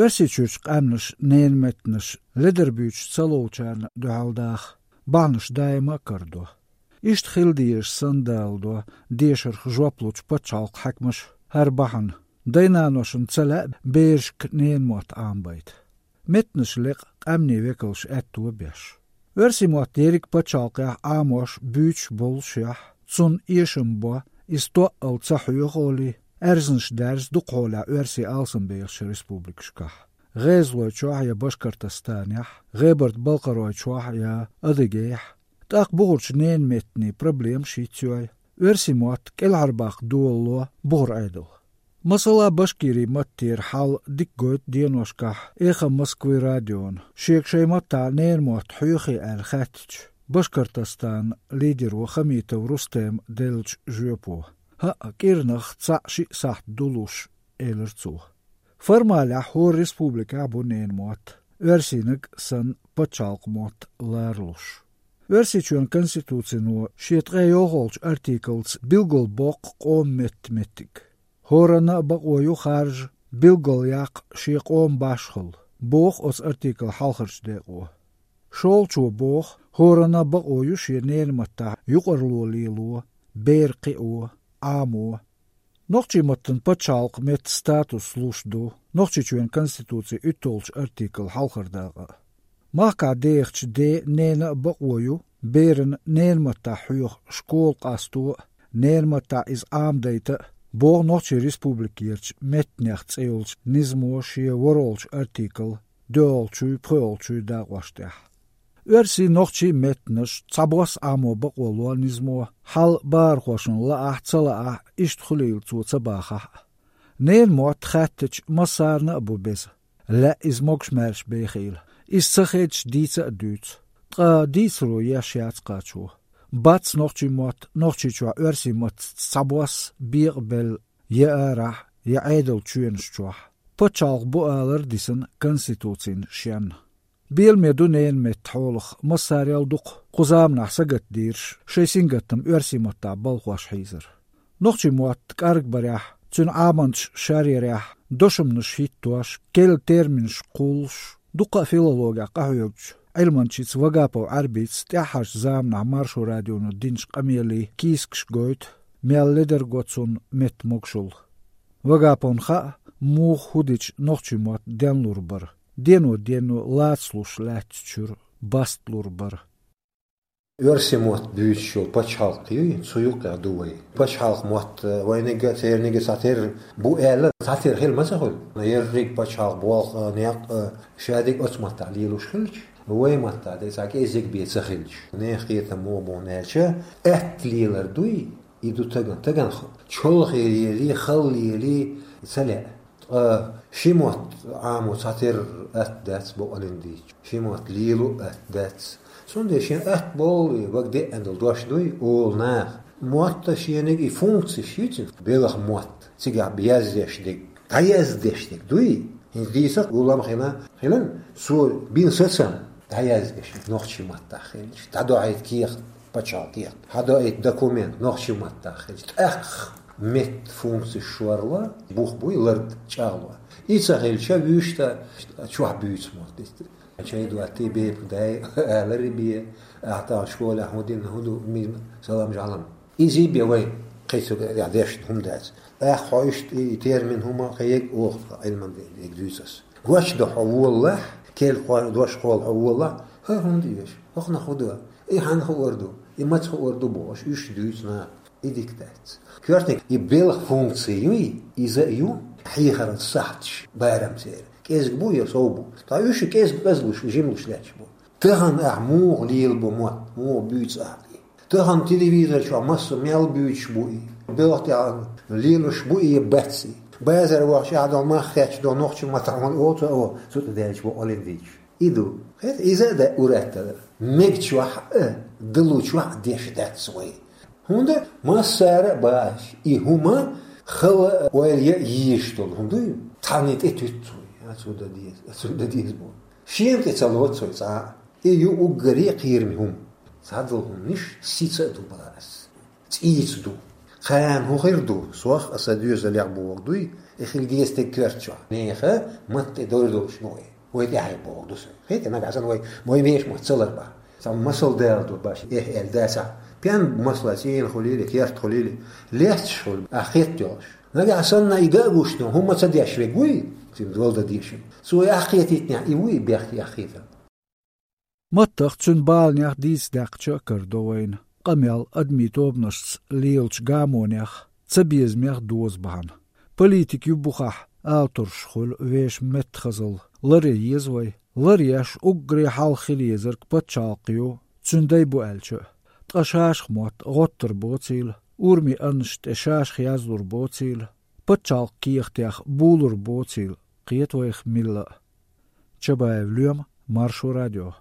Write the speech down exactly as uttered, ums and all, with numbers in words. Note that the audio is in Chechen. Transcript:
Оьрсийчуьрчу къаьмнаш ненан меттанаш ледар буьйцуш ца ловлучарна дуьхьал даха, бахьанаш даима а карадо. Иштта хила дезаш санна даладо дешарх жоп лучу пачхьалкхан хьаькамаша хӀара бахьана, дай-наношна ца лаьа берашка ненан мотт Ӏамабайта. Меттанаш лекъа къаьмнийн векалша аьтто беш. Оьрсийн мотт ерриг пачхьалкхехь Ӏамош, буьйцуш боллушехь, цунна эшам бо, иза тоъал ца хьоьху олий, аьрзнаш даьржа дукхахьолехь оьрсий алсамбехачу республикашкахь. ГӀезалойчохь я Башкортостанехь, ГӀебарта-Балкхаройчохь я Адыгейхь. ТӀаккха бухарчу ненан меттанийн проблемаш йицйой, оьрсийн мотт кӀелхьарбаккха долало бухара Ӏедал. Масала, башкирийн маттера хьал дика гойту деношкахь «Эхо Москвы» радиона, шега шайн маттахь ненан мотт хьоьхий аьлла хаьттича, Башкортостанан лидеро Хамитов Рустема деллачу жоьпо: «ХӀаъ, кӀирнах цхьаъ-шиъ сахьт ду луш», — элира цо. Формалехь хӀора республикехь бу ненан мотт, оьрсийнаг санна пачхьалкхан мотт ларалуш. Оьрсийчоьнан конституцино шен ткъе йолхолгӀачу артиклца билгалбоккху къоман меттан меттиг. ХӀоранна а бакъо ю харжа билгалъяккха шен къоман башхалла, боху оцу артиклан хьалхарчу декъо. ШолгӀачо боху, хӀоранна а бакъо ю шен ненан маттахь юкъарло лело, бер кхио, Ӏамо. Нохчийн маттана пачхьалкхан меттан статус луш ду Нохчийчоьнан конституцин уьтталгӀачу артиклан хьалхара дакъа. Махкахь дехачу ден, ненан а бакъо ю берана ненан маттахь хьоьху школа къасто а, ненан маттахь иза Ӏамадайта а, боху Нохчийн Республикерчу меттанех цӀе йолчу низамо шен ворхӀалгӀачу артиклан доьалгӀачуй, пхоьалгӀачуй дакъош тӀехь. Оьрсийн, нохчийн меттанаш цхьабосса Ӏамо бакъо ло низамо, хьал бахархошна лаахь а, ца лаахь а, иштта хуьлийла цо ца бахахь а. Ненан мотт хаьттича, массарна а бу беза. Лаьа иза могуш-маьрша бехийла. Иза ца хедча, дийца а дуьйцу. Ткъа дийцаро еш яц кхачо. Бац нохчийн мотт Нохчийчохь оьрсийн маттаца цхьабосса бекъабелла я арахь, я Ӏедалан чоьнаш чохь. Пачхьалкх бу алар а дисина конституцина шен. Беламе ду ненан меттан хьолах массарел а дукха кху заманахь сагатдийраш шайн сингаттам оьрсийн маттахь балхош хьийзар. Нохчийн мотт кӀаргбарехь, цуьнан Ӏаманчаш шаръярехь, дошамнаш хӀиттош, керла терминаш кхуллуш, дуккха а филологехь къахьоьгучу Ӏилманчица Вагапов Ӏаьрбица тӀаьххьарчу заманахь Маршо радионо динчу къамелин кийсакаш гойту, мел ледар го цунна меттан могушалла. Вагаповна хаьа, муха хӀун дича нохчийн мотт денлур бара, дено-дено лацалуш лаьттачуьра бастлур бара. Оьрсийн мотт буьйцуш йолу пачхьалкх юй, цу юккъехь ду вай. Пачхьалкх мотт вайниг а, церниг а цхьатерра бу аьлла, цхьатерра хила ма ца хуьлу. Ерриг пачхьалкх, болх а, некъ а шадерг оцу маттахь лелош хилча, вай маттахь дерг цхьа кӀеззиг бен ца хилча, нехан кхетам муха бу аьлча, аьтта лелар дуй, и ду тагана. Тагана х-, чолхе лелий, хала лелий, ца лаьа. Ткъа ши мотт Ӏамо цхьатерра атта дац бакъалла дийцча. Ши мотт лело атта дац. Цундела шен атта болу и, вага деана долу дош дуй, олу наха. Мотта шениг и функцеш ю цуьнан, белхан мотт, цигахь яздеш дерг, дӀаяздеш дерг дуй. ХӀинца дийца а гулам хила, хилан, цо бина сацам дӀаяздеш нохчийн маттахь хилча, дӀадоуьйту кехат, пачхьалкхан кехат, хьадоуьйту документ нохчийн маттахь хилча, тӀаккха меттан функцеш шорло, бух буй лард чӀагӀло. И ца хилча, вуьшта чохь буьйцу мотт. Чай доттий бепиг дай, алари бе, ахьа тахана школехь хӀун дина, хӀун ду, мин салам-жалам. Изий бен вай кхин цу тӀехь дешна хӀума дац. ТӀаккха хьо иштта и термин хӀума кхин ерг оха Ӏилман дерг дуьйцу ас. Гочдо хьо волалахь, керла дош кхолла хьо волалахь, хӀара хӀунда оьшу, хӀокхунах хӀун ду, и хьанна хуур ду, и маца хуур ду бохуш, уьш дуьйцу наха. И дика дац. Коьртаниг и белхан функци юй, иза а ю хьехаран сахьташ барам церан. КӀезиг бу я сов бу. Ткъа уьш кӀезиг, кӀезлуш, жимлуш лаьтташ бу. Тахана ахь муха лелабо мотт, муха буьйцу ахь и? Тахана телевизор чохь массо мел буьйцуш бу и. Белхан тӀехь лелош бу и, бац и. Базар вахча ахь долу мах хетча долу нохчийн маттахь хьуна оцу а, цу тӀе даьлча бо олин дийча. И ду. Хета, иза а да ур-атталла. Мегачохь а, далучохь а деш дац вай. ХӀунда массара а бааш, и хӀума хала а, ойла ян а йийш долу хӀума дуй, тхьанна тӀе туьтту вай. Ацу дан деза, ацу дан деза боху. Шена тӀе ца лоцу вай цкъа а. И ю уггаре а кхераме хӀума. Цхьадолу хӀуманаш сица а ду бара ас. ЦӀийца ду. Кхана хӀун хир ду, сох а сан доьзалех боху дуй, И хила деза стаг коьртачохь. Нехан матта тӀе дойр долуш ма вай. Вай тӀаьхье боху ду со. Хета, нагахь санна вай, вай вешан мотт ца ларбахь. Цхьа масал дала ду баш, эхь аьлла дацахь. Пен масала цӀена хуьлийла, керта хуьлийла, лесташ хуьлу, ахь хетта йолуш. Нагахь санна и дан а гуш ду, хӀумма ца деш верг вуй, цуьнан дола дан дезаш. Цо и ахь кхетийтинехь, и вуй и бехке ахь хетар. Маттах, цуьнан баланех дийца даьккхича а карадо вайна, къамел, адамийн тобанашца лелачу гамонех, цабезамех доза бахьана. Политика ю бухахь, ала турш хуьлу вешан меттахазалла, ларъян еза вай. Ларъеш уггаре хьалха хила езарг пачхьалкх ю, цуьнан дай бу аьлча а. Ткъа шашах мотт гӀоттар боцийла, урамийн аннаш тӀе шашах яздалур боцийла, пачхьалкх кехатех булур боцийла, кхета вайх милла а. Чабаев Лоьма, Маршо радио.